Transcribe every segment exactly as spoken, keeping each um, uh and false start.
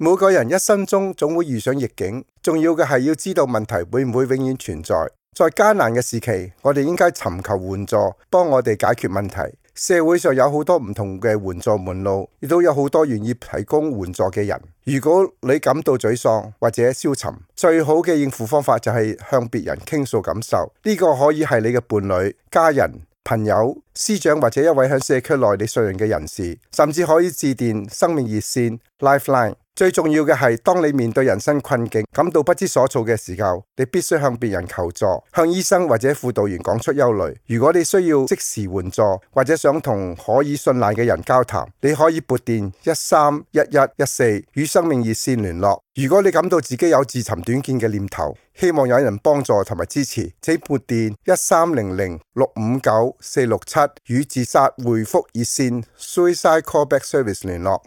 每個人一生中總會遇上逆境，重要嘅係要知道問題會唔會永遠存在。在艱難嘅時期，我哋應該尋求援助，幫我哋解決問題。社會上有好多唔同嘅援助門路，亦都有好多願意提供援助嘅人。如果你感到沮喪或者消沉，最好嘅應付方法就係向別人傾訴感受。呢個可以係你嘅伴侶、家人、朋友、師長或者一位喺社區內你信任嘅人士，甚至可以致電生命熱線 Lifeline。最重要嘅係，當你面對人生困境，感到不知所措嘅時候，你必須向別人求助，向醫生或者輔導員講出憂慮。如果你需要即時援助，或者想同可以信賴嘅人交談，你可以撥電一三一一一四與生命熱線聯絡。如果你感到自己有自尋短見嘅念頭，希望有人幫助同埋支持，請撥電一三零零六五九四六七與自殺回覆熱線 Suicide Callback Service 聯絡。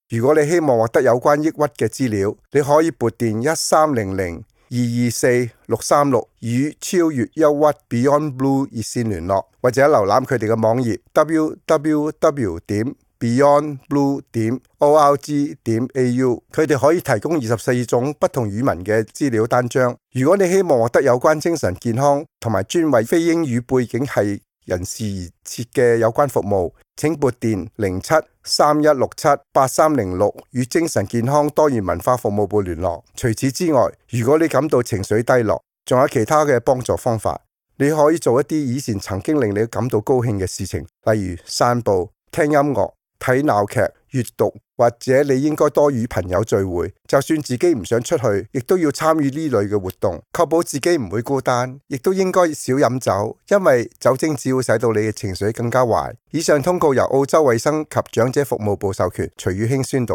如果你希望獲得有關抑鬱嘅資料，你可以撥電一三零零二二四六三六與超越憂鬱 Beyond Blue 熱線聯絡，或者瀏覽佢哋嘅網頁 double-u double-u double-u 點 beyond blue 點 org 點 a u， 佢哋可以提供二十四種不同語文嘅資料單張。如果你希望獲得有關精神健康同埋專為非英語背景系人士而設嘅有關服務，請撥電零七三一六七八三零六與精神健康多元文化服務部聯絡。除此之外，如果你感到情緒低落，仲有其他嘅幫助方法。你可以做一啲以前曾經令你感到高興嘅事情，例如散步、聽音樂、睇鬧劇、閱讀，或者你應該多與朋友聚會。就算自己唔想出去，亦都要參與呢類嘅活動，確保自己唔會孤單。亦都應該少飲酒，因為酒精只會使到你嘅情緒更加壞。以上通告由澳洲衛生及長者服務部授權，徐宇興宣讀。